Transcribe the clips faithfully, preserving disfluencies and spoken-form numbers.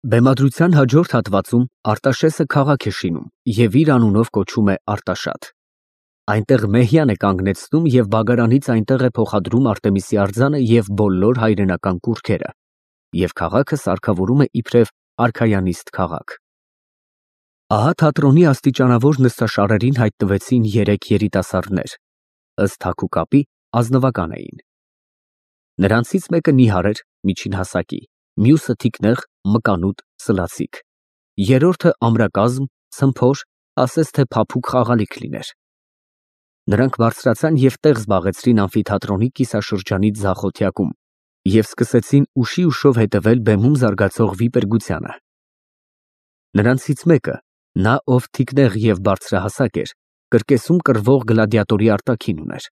Բեմադրության հաջորդ հատվածում Արտաշեսը քաղաք է շինում և իր անունով կոչում է Արտաշատ։ Այնտեղ Մեհյան է կանգնեցնում և բագարանից այնտեղ է փոխադրում Արտեմիսի արձանը և բոլոր հայրենական կուռքերը, և քաղաքը սարքավորում է իբրև արքայանիստ քաղաք։ Ահա թատրոնի աստիճանավոր նստաշարերին հայտնվեցին երեք երիտասարդներ, ըստ հագու կապի ազնվական էին։ Նրանցից մեկը նիհար էր, միջին հասակի, մյուսը թիկնեղ, մկանուտ, սլացիկ, երրորդը ամրակազմ, ցմփոր, ասես թե փափուկ խաղալիք լիներ։ Նրանք բարձրացան և տեղ զբաղեցրին ամֆիթատրոնի կիսաշրջանի ձախ օթյակում և սկսեցին ուշի ուշով հետևել բեմում զարգացող վիպերգությանը։ Նրանցից մեկը, նա, ով թիկնեղ և բարձրահասակ էր, կրկեսում կռվող գլադիատորի արտաքին ուներ։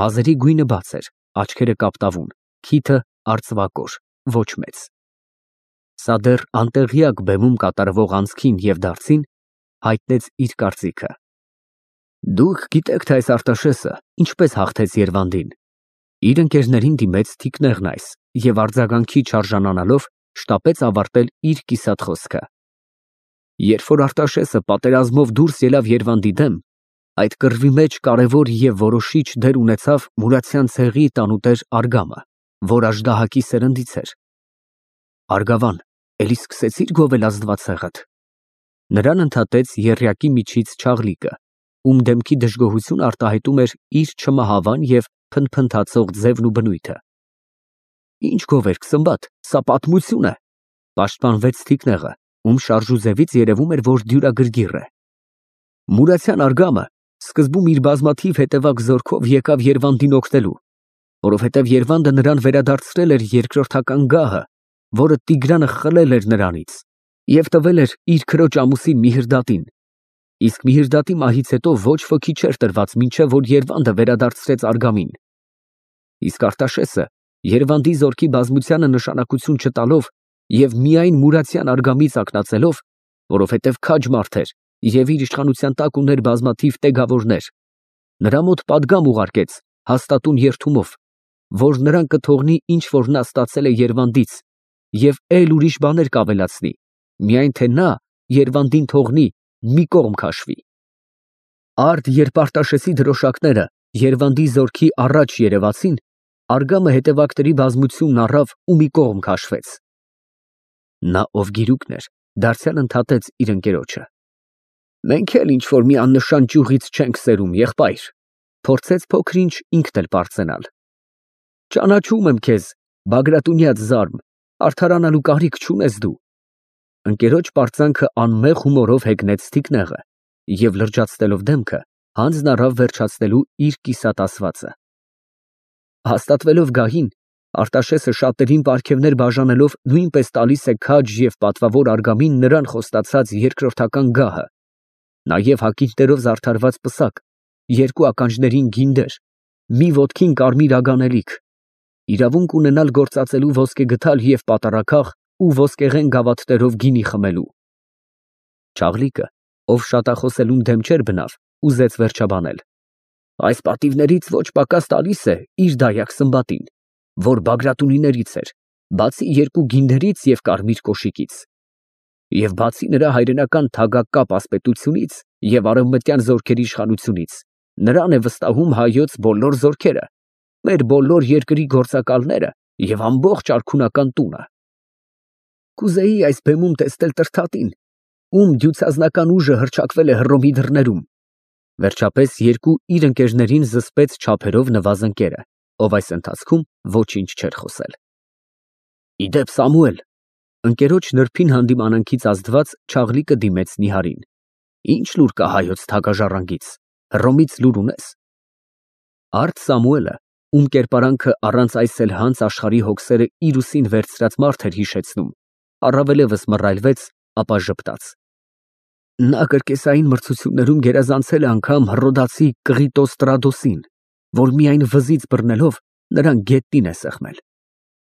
Մազերի գույնը բաց էր, աչքերը կապտավուն, քիթը արծվակոր, ոչ մեծ։ Սա դեռ անտեղյակ բեմում կատարվող անցքին և դարձին հայտնեց իր կարծիքը։ Դուք գիտեք, թե այս Արտաշեսը ինչպես հաղթեց Երվանդին։ Իր ընկերներին դիմեց թիկնեղն այս և արձագանքի չարժանանալով շտապեց ավարտել իր կիսատ խոսքը։ Երբ որ Արտաշեսը պատերազմով դուրս ելավ Երվանդի դեմ, այդ կռվի մեջ կարևոր և որոշիչ դեր ունեցավ Մուրացյան ցեղի տանուտեր Արգամը, որ աժդահակի սերնդից էր։ Արգավան, էլի սկսեցի՞ր գովել ազնվացեղդ։ Նրան ընդհատեց եռյակի միջից Չաղլիկը, ում դեմքի դժգոհությունն արտահայտում էր իր չմահավան և փնթփնթացող ձևն ու բնույթը։ Ինչ գովերք, Սմբատ, սա պատմություն է, պաշտպանվեց թիկնեղը, ում շարժուձևից երևում էր, որ դյուրագրգիռ է։ Մուրացյան Արգամը սկզբում իր բազմաթիվ հետևակ զորքով եկավ Երվանդին օգնելու, որովհետև Երվանդը նրան վերադարձրել էր երկրորդական գահը, որը Տիգրանը խլել էր նրանից և տվել էր իր քրոջ ամուսին Միհրդատին, իսկ Միհրդատի մահից հետո ոչ ոքի չէր տրված, մինչև որ Երվանդը վերադարձրեց Արգամին։ Իսկ Արտաշեսը Երվանդի զորքի բազմությանը նշանակություն չտալով և միայն Մուրացյան Արգամից ակնածելով, որովհետև քաջ մարդ էր և իր իշխանության տակ ուներ բազմաթիվ տեգավորներ, նրա մոտ պատգամ ուղարկեց հաստատուն երդումով, որ նրան կթողնի ինչ որ նա ստացել է Երվանդից և էլ ուրիշ բաներ կավելացնի, միայն թե նա Երվանդին թողնի, մի կողմ քաշվի։ Արդ երբ Արտաշեսի դրոշակները Երվանդի զորքի առաջ երևացին, Արգամը հետևակների բազմությունն առավ ու մի կողմ քաշվեց։ Նա, ով գիրուկն էր, դարձյալ ընդհատեց իր ընկերոջը. Մենք էլ ինչ որ մի աննշան ճյուղից չենք սերում, եղբայր, փորձեց փոքր-ինչ ինքն էլ պարծենալ։ Ճանաչում եմ քեզ, Բագրատունյաց զարմ, արդարանալու կարիք չունես դու։ Ընկերոջ պարծանքը անմեղ հումորով հեգնեց թիկնեղը և լրջացնելով դեմքը, հանձն առավ վերջացնելու իր կիսատ ասվածը։ Հաստատվելով գահին, Արտաշեսը շատերին պարգևներ բաժանելով նույնպես տալիս է քաջ և պատվավոր Արգամին նրան խոստացած երկրորդական գահը, նաև հագինջներով զարդարված պսակ, երկու ականջներին գինդեր, մի ոտքին կարմիր ագանելիք, իրավունք ունենալ գործածելու ոսկեգդալ և պատառաքաղ ու ոսկեղեն գավաթներով գինի խմելու։ Չաղլիկը, ով շատախոսելուն դեմ չէր բնավ, ուզեց վերջաբանել. Այս պատիվներից ոչ պակաս տալիս է իր դայակ Սմբատին, որ Բագրատունիներից էր, բացի երկու գինդերից և կարմիր կոշիկից, և բացի նրա հայրենական թագակապ ասպետությունից և արևմտյան զորքերի իշխանությունից, նրան է վստահում հայոց բոլոր զորքերը, մեր բոլոր երկրի գործակալները և ամբողջ արքունական տունը։ Կուզեի այս բեմում տեսնել Տրդատին, ում դյուցազնական ուժը հռչակվել է Հռոմի դռներում։ Վերջապես երկու իր ընկերներին զսպեց չափերով նվազն կերը, ով այս ընթացքում ոչինչ չէր խոսել։ Իդեպ, Սամուել, ընկերոջ նրբին հանդիմանանքից ազդված Չաղլիկը դիմեց նիհարին, ինչ լուր կա հայոց թագաժառանգից, Հռոմից լուր ունե՞ս։ Արդ Սամուելը, ում կերպարանքը առանց այս էլ հանց աշխարհի հոգսերը իր ուսին վերցրած մարդ էր հիշեցնում, առավելևս մռայլվեց, ապա ժպտաց. Նա կրկեսային մրցություններում գերազանցել է անգամ հռոդացի Կղիտոստրադոսին, որ միայն վզից բռնելով նրան գետնին է սեղմել։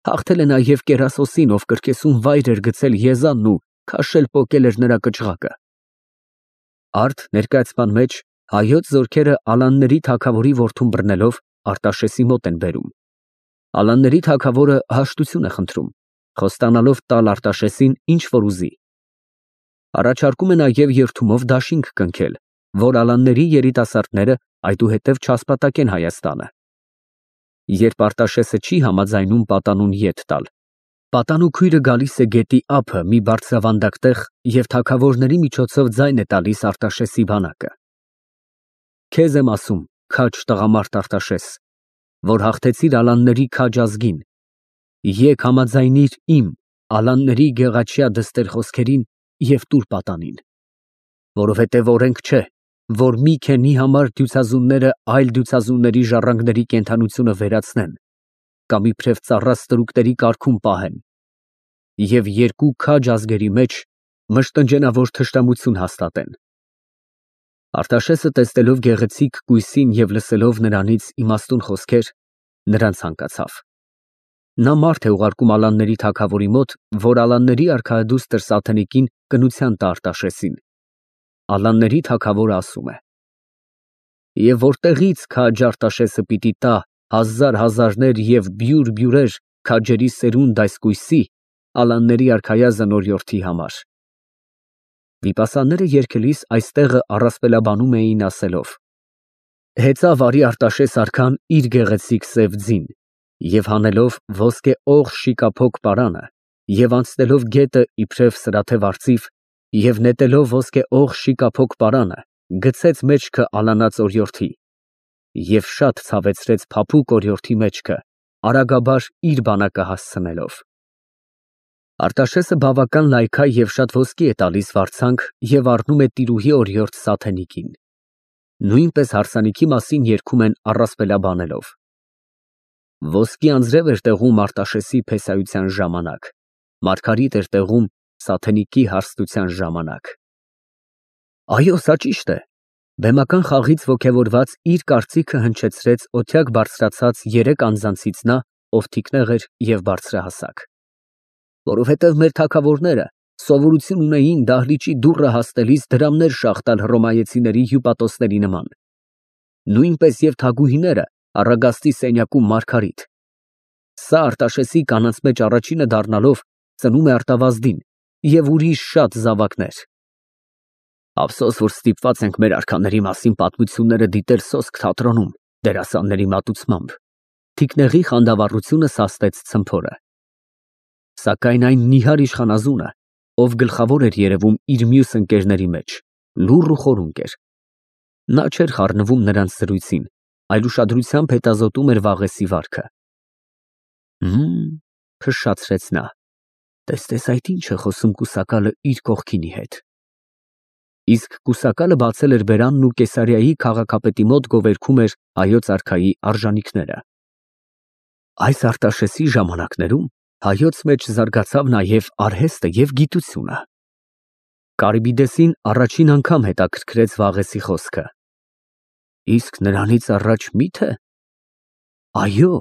Հաղթել է նաև Կերասոսին, ով կրկեսում վայր էր գցել Եզանն ու քաշել պոկել էր նրա կճղակը։ Արդ ներկայացման մեջ հայոց զորքերը Ալանների թագավորի որդուն բռնելով Արտաշեսի մոտ են բերում։ Ալանների թագավորը հաշտություն է խնդրում, խոստանալով տալ Արտաշեսին ինչ որ ուզի։ Առաջարկում է նաև երդումով դաշինք կնքել, որ ալանների երիտասարդները այդուհետև չասպատակեն Հայաստանը։ Երբ Արտաշեսը չի համաձայնում պատանուն ետ տալ, պատանու քույրը գալիս է գետի ափը մի բարձրավանդակ տեղ և թագավորների միջոցով ձայն է տալիս Արտաշեսի բանակը։ Քեզ եմ ասում, քաջ տղամարդ Արտաշես, որ հաղթեցիր ալանների քաջ ազգին, եկ համաձայնիր իմ ալանների գեղաչյա դստեր խոսքերին և տուր պատանին, որովհետև օրենք չէ, որ մի քենի համար դյուցազունները այլ դյուցազունների ժառանգների կենդանությունը վերացնեն կամ իբրև ծառա ստրուկների կարգում պահեն և երկու քաջ ազգերի մեջ մշտնջենավոր թշնամություն հաստատեն։ Արտաշեսը տեսնելով գեղեցիկ կույսին և լսելով նրանից իմաստուն խոսքեր, նրան ցանկացավ։ Նա մարդ է ուղարկում ալանների թագավորի մոտ, որ ալանների արքայադուստր Սաթենիկին կնության տա Արտաշեսին։ Ալանների թագավորը ասում է. «Եվ որտեղից քաջ Արտաշեսը պիտի տա հազար հազարներ և բյուր բյուրեր քաջերի սերունդ այս կույսի, ալանների արքայազն օրիորդի համար»։ Վիպասանները երգելիս այս տեղը առասպելաբանում էին ասելով. Հեծավ արի Արտաշես արքան իր գեղեցիկ սև ձին, և հանելով ոսկե օղ շիկափոք պարանը, և անցնելով գետը իբրև սրաթև արծիվ, և նետելով ոսկե օղ շիկափոք պարանը, գցեց մեջքը ալանած օրիորդի և շատ ցավեցրեց փափուկ օրիորդի մեջքը, արագաբար իր բանակը հասցնելով։ Արտաշեսը բավական լայքա և շատ ոսկի է տալիս վարձանք և առնում է տիրուհի օրիորդ Սաթենիկին։ Նույնպես հարսանիքի մասին երգում են առասպելաբանելով. Ոսկի անձրև էր տեղում Արտաշեսի փեսայության ժամանակ, մարգարիտ էր տեղում Սաթենիկի հարստության ժամանակ։ Այո, սա ճիշտ է։ Բեմական խաղից ոգևորված իր կարծիքը հնչեցրեց օթյակ բարձրացած երեք անձանցից նա, ով թիկնեղ էր և բարձրահասակ։ Որովհետև մեր թագավորները սովորություն ունեին դահլիճի դուռը հասնելիս դրամներ շաղ տալ հռոմայեցիների հյուպատոսների նման, նույնպես և թագուհիները առագաստի սենյակում մարգարիտ։ Սա Արտաշեսի կանանց մեջ առաջինը դառնալով ծնում է արտավազդին և ուրիշ շատ զավակներ։ Ափսոս, որ ստիպված ենք մեր արքաների մասին պատմությունները դիտել սոսկ թատրոնում դերասանների մատուցմամբ։ Թիկնեղի խանդավառությունը սաստեց ցմփորը։ Սակայն այն նիհար իշխանազունը, ով գլխավոր էր երևում իր մյուս ընկերների մեջ, լուռ ու խորունկ էր։ Նա չէր խառնվում նրանց զրույցին, այլ ուշադրությամբ հետազոտում էր Վաղեսի վարքը։ Հըմ, փշշացրեց նա, տեսնես այդ ինչ է խոսում կուսակալը իր կողքինի հետ։ Իսկ կուսակալը բացել էր բերանն ու Կեսարիայի քաղաքապետի մոտ գովերգում էր հայոց արքայի արժանինքները։ Այս Արտաշեսի ժամանակներում հայոց մեջ զարգացավ նաև արհեստը և գիտությունը։ Կարիբիդեսին առաջին անգամ հետաքրքրեց Վաղեսի խոսքը։ Իսկ նրանից առաջ մի՞թե։ Այո,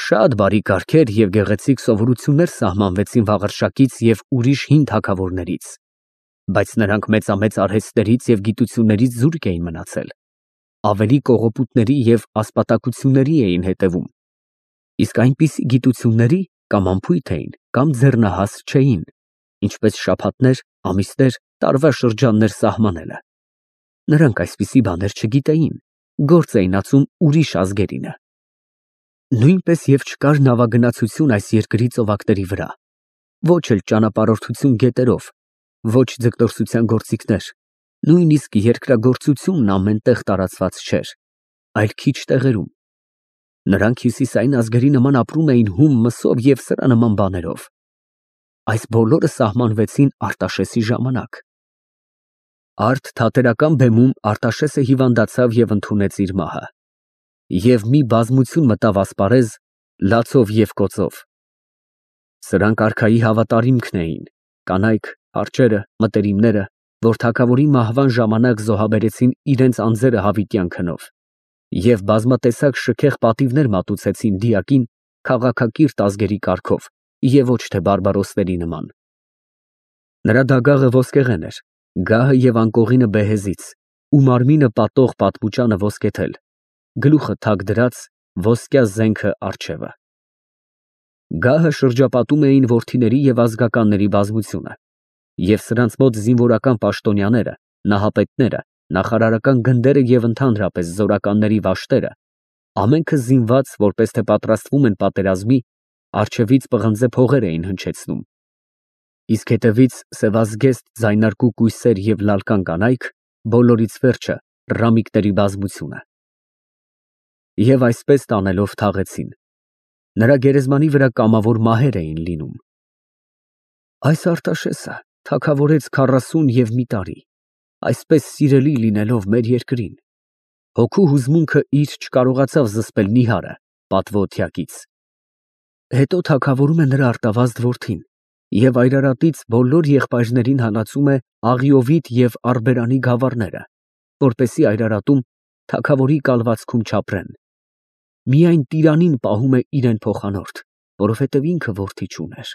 շատ բարի կարգեր և գեղեցիկ սովորություններ սահմանվեցին Վաղարշակից և ուրիշ հին թագավորներից, բայց նրանք մեծամեծ արհեստներից և գիտություններից զուրկ էին մնացել, ավելի կողոպուտների և ասպատակությունների էին հետևում, իսկ այնպիսի գիտությունների կամ անփույթ էին, կամ ձեռնահաս չէին, ինչպես շաբաթներ, ամիսներ, տարվա շրջաններ սահմանելը։ Նրանք այսպիսի բաներ չգիտեին, գործ էին ածում ուրիշ ազգերինը։ Նույնպես և չկար նավագնացություն այս երկրի ծովափների վրա, ոչ էլ ճանապարհորդություն գետերով, ոչ ձկնորսության գործիքներ, նույնիսկ երկրագործությունն ամեն տեղ տարածված չէր, այլ քիչ տեղերում։ Նրանք հյուսիսային ազգերի նման ապրում էին հում մսով և սրա նման բաներով։ Այս բոլորը սահմանվեցին Արտաշեսի ժամանակ։ Արդ թատերական բեմում Արտաշեսը հիվանդացավ և ընդունեց իր մահը։ Եվ մի բազմություն մտավ ասպարեզ, լացով և կոծով։ Սրանք արքայի հավատարիմքն էին, կանայք, արջերը, մտերիմները, որ թագավորի մահվան ժամանակ զոհաբերեցին իրենց անձերը հավիտյան քնով և բազմատեսակ շքեղ պատիվներ մատուցեցին դիակին քաղաքակիրթ ազգերի կարգով և ոչ թե բարբարոսների նման։ Նրա դագաղը ոսկեղեն էր, գահը և անկողինը բեհեզից ու մարմինը պատող պատմուճանը ոսկեթել, գլուխը թակ դրած, ոսկյա զենքը առջևը։ Գահը շրջապատում էին որդիների և ազգականների բազմությունը, և սրանց մոտ զինվորական պաշտոնյաները, նահապետները, նախարարական գնդերը և ընդհանրապես զորականների վաշտերը, ամենքը զինված, որպես թե պատրաստվում են պատերազմի, առջևից պղնձե փողեր էին հնչեցնում, իսկ հետևից սևազգեստ ձայնարկու կույսեր և լալկան կանայք, բոլորից վերջը ռամիկների բազմությունը։ Եվ այսպես տանելով թաղեցին։ Նրա գերեզմանի վրա կամավոր մահեր էին լինում։ Այս Արտաշեսը թագավորեց քառասուն և մի տարի, այսպես սիրելի լինելով մեր երկրին, հոգու հուզմունքը իր չկարողացավ զսպել նիհարը, պատվո հետո թագավորում է նրա արտավազդ որդին և այրարատից բոլոր եղբայրներին հալածում է Աղիովիտ և Արբերանի գավառները, որպեսզի այրարատում թագավորի կալվածքում չապրեն։ Միայն տիրանին պահում է իրեն փոխանորդ, որովհետև ինքը որդի չուներ։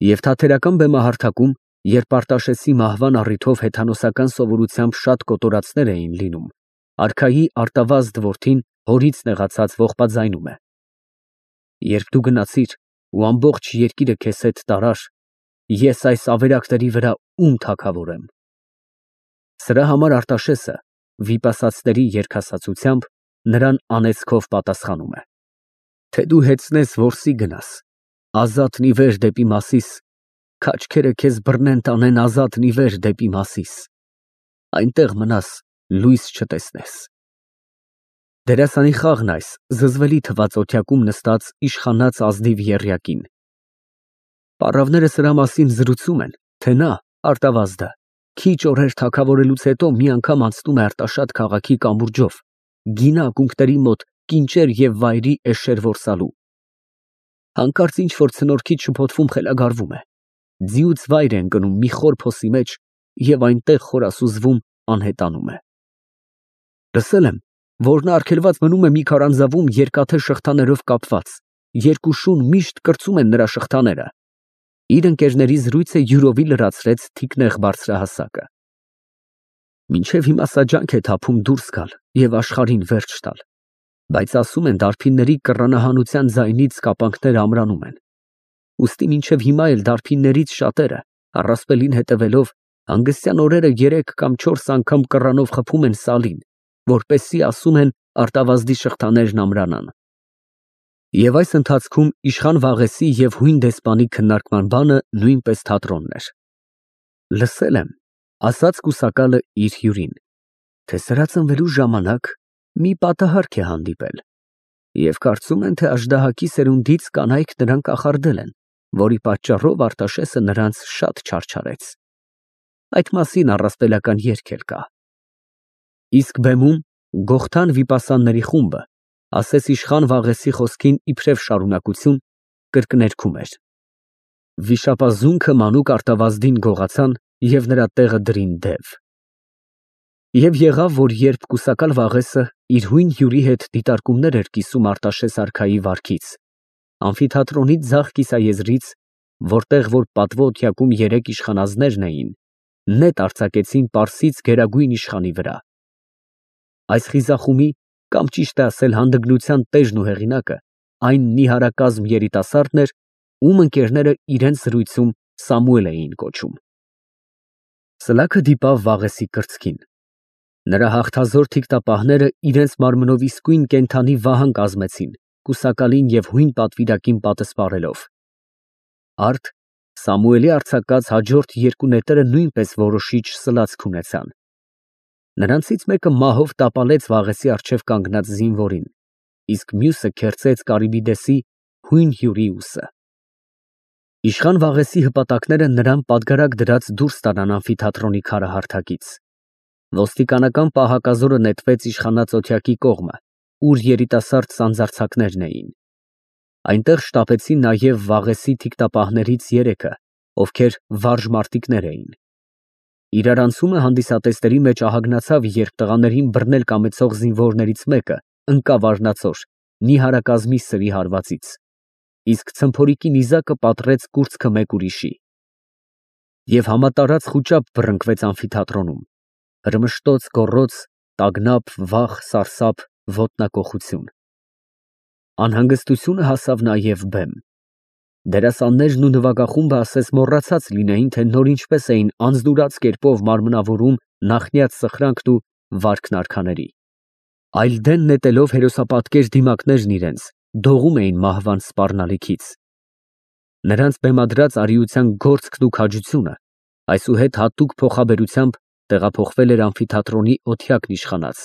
Եվ թատերական բեմահարթակում, երբ Արտաշեսի մահվան առիթով հեթանոսական սովորությամբ շատ կոտորածներ էին լինում, արքայի արտավազդ որդին հորից նեղացած ողբաձայնում է. «Երբ դու գնացիր ու ամբողջ երկիրը քեզ հետ տարար, ես այս ավերակների վրա ում թագավորեմ»։ Սրա համար Արտաշեսը վիպասացների երգասացությամբ նրան անեծքով պատասխանում է. Թե դու հեծնես որսի գնաս, ազատն ի վեր դեպի Մասիս, քաչքերը քեզ բռնեն տանեն ազատն ի վեր դեպի Մասիս, այնտեղ մնաս, լույս չտեսնես։ Դերասանի խաղն այս զզվելի թվաց օթյակում նստած իշխանած ազնիվ եռյակին։ Պառավները սրա մասին զրուցում են, թե նա, արտավազդը, քիչ օրեր թագավորելուց հետո մի անգամ անցնում է Արտաշատ քաղաքի կամուրջով, գինա ակունքների մոտ կինճեր և վայրի էշեր որսալու։ Հանկարծ ինչ֊որ ցնորքից շփոթվում խելագարվում է, ձիուց վայր է ընկնում մի խոր փոսի մեջ և այնտեղ խորասուզվում անհետանում է։ Լսել եմ, որ նա արգելված մնում է մի քարանձավում երկաթե շղթաներով կապված, երկու շուն միշտ կրծում են նրա շղթաները։ Իր ընկերների զրույցը յուրովի լրացրեց թիկնեղ բարձրահասակը։ Մինչև հիմա սա ջանք է թափում դուրս գալ և աշխարհին վերջ տալ, բայց ասում են դարբինների կռանահանության ձայնից կապանքները ամրանում են։ Ուստի մինչև հիմա էլ դարբիններից շատերը, առասպելին հետևելով, հանգստյան օրերը երեք կամ չորս անգամ կռանով խփում են սալին, որպեսզի, ասում են, արտավազդի շղթաներն ամրանան։ Եվ այս ընթացքում իշխան Վաղեսի և հույն դեսպանի քննարկման բանը նույնպես թատրոնն էր։ Լսել եմ, ասաց կուսակալը իր հյուրին, թե սրա ծնվելու ժամանակ մի պատահարք է հանդիպել, և կարծում են, թե աժդահակի սերունդից կանայք նրան կախարդել են, որի պատճառով Արտաշեսը նրանց շատ չարչարեց։ Այդ մասին առասպելական երգ էլ կա։ Իսկ բեմում Գողթան վիպասանների խումբը, ասես իշխան Վաղեսի խոսքին իբրև շարունակություն, կրկներգում էր. Վիշապազունքը մանուկ արտավազդին գողացան և նրա տեղը դրին դև։ Եվ եղավ, որ երբ կուսակալ Վաղեսը իր հույն հյուրի հետ դիտարկումներ էր կիսում Արտաշես արքայի վարքից, ամֆիթատրոնի ձախ կիսաեզրից, որտեղ որ պատվո օթյակում երեք իշխանազներն էին, նետ արձակեցին պարսից գերագույն իշխանի վրա։ Այս խիզախումի, կամ ճիշտ է ասել հանդգնության տեժն ու հեղինակը, այն նիհարակազմ երիտասարդն էր, ում ընկերները իրենց զրույցում Սամուել էին կոչում։ Սլաքը դիպավ Վաղեսի կրծքին։ Նրա հաղթազոր թիկտապահները իրենց մարմնով իսկույն կենդանի վահան կազմեցին, կուսակալին և հույն պատվիրակին պատսպարելով։ Արդ Սամուելի արձակած հաջորդ երկու նետերը նույնպես որոշիչ սլացք ունեցան։ Նրանցից մեկը մահով տապալեց Վաղեսի առջև կանգնած զինվորին, իսկ մյուսը քերծեց Կարիբիդեսի հույն հյուրի ուսը։ Իշխան Վաղեսի հպատակները նրան պատգարակ դրած դուրս տարան ամֆիթատրոնի քարահարթակից։ Ոստիկանական պահակազորը նետվեց իշխանած օթյակի կողմը, ուր երիտասարդ սանձարձակներն էին։ Այնտեղ շտապեցին նաև Վաղեսի թիկտապահներից երեքը, ովքեր վարժ մարտիկներ էին։ Իրարանցումը հանդիսատեսների մեջ ահագնացավ, երբ տղաներին բռնել կամեցող զինվորներից մեկը ընկավ առնածոր, նիհարակազմի սրի հարվածից, իսկ ցմփորիկի նիզակը պատռեց կուրծքը մեկ ուրիշի։ Եվ համատարած խուճապ բռնկվեց ամֆիթատրոնում, հրմշտոց, գոռոց, տագնապ, վախ, սարսափ, ոտնակոխություն։ Անհանգստությունը հասավ նաև բեմ։ Դերասաններն ու նվագախումբը ասես մոռացած լինեին, թե նոր ինչպես էին անձնուրաց կերպով մարմնավորում նախնյաց սխրանքն ու վարքն արքաների։ Այլ դեն նետելով հերոսապատկեր դիմակներն իրենց, դողում էին մահվան սպառնալիքից։ Նրանց բեմադրած արիության գործքն ու քաջությունը այսուհետ հատուկ փոխաբերությամբ տեղափոխվել էր ամֆիթատրոնի օթյակն իշխանած,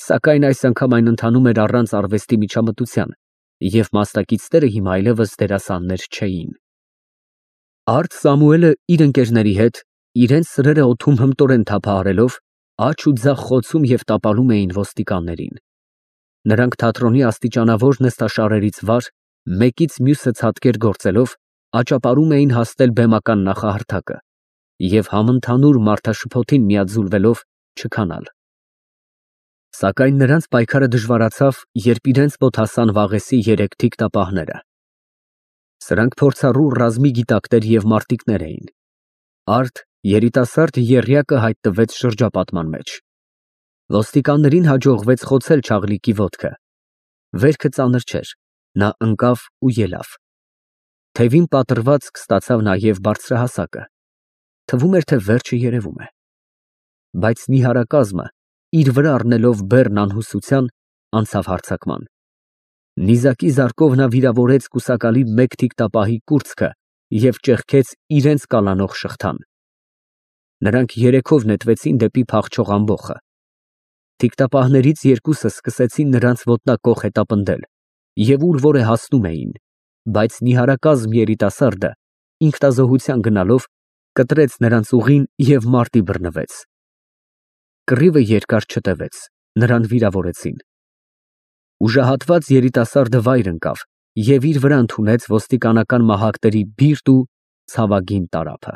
սակայն այս անգամ այն ընթանում էր առանց արվեստի միջամտության, և մասնակիցները հիմա այլևս դերասաններ չէին։ Արթ Սամուելը իր ընկերների հետ իրենց սրերը օդում հմտորեն թափահարելով աջ ու ձախ խոցում և տապալում էին ոստիկաններին։ Նրանք թատրոնի աստիճանավոր նստաշարերից վար, մեկից մյուսը ցատկեր գործելով, աճապարում էին հասնել բեմական նախահարթակը և համընդհանուր մարդաշփոթին միաձուլվելով չքանալ։ Սակայն նրանց պայքարը դժվարացավ, երբ իրենց մոտ հասան Վաղեսի երեք թիկտապահները։ Սրանք փորձառու ռազմի գիտակներ և մարտիկներ էին։ Արթ երիտասարդ եռյակը հայտնվեց շրջապատման մեջ։ Ոստիկաններին հաջողվեց խոցել չաղլիկի ոտքը։ Վերքը ծանր չէր, նա ընկավ ու ելավ։ Թևին պատռվածք ստացավ նաև բարձրահասակը։ Թվում էր, թե վերջը երևում է։ Բայց նիհարակազմը, իր վրա առնելով բեռն անհուսության, անցավ հարձակման։ Նիզակի զարկով նա վիրավորեց կուսակալի մեկ թիկտապահի կուրծքը և ճեղքեց իրենց կալանող շղթան։ Նրանք երեքով նետվեցին դեպի փախչող ամբոխը։ Թիկտապահներից երկուսը սկսեցին նրանց ոտնակոխ հետապնդել և ուր որ է հասնում էին, բայց նիհարակազմ երիտասարդը, ինքնազոհության գնալով, կտրեց նրանց ուղին և մարտի բռնվեց։ Կռիվը երկար չտևեց, նրան վիրավորեցին։ Ուժահատված երիտասարդը վայր ընկավ և իր վրա ընդունեց ոստիկանական մահակների բիրտ ու ցավագին տարափը։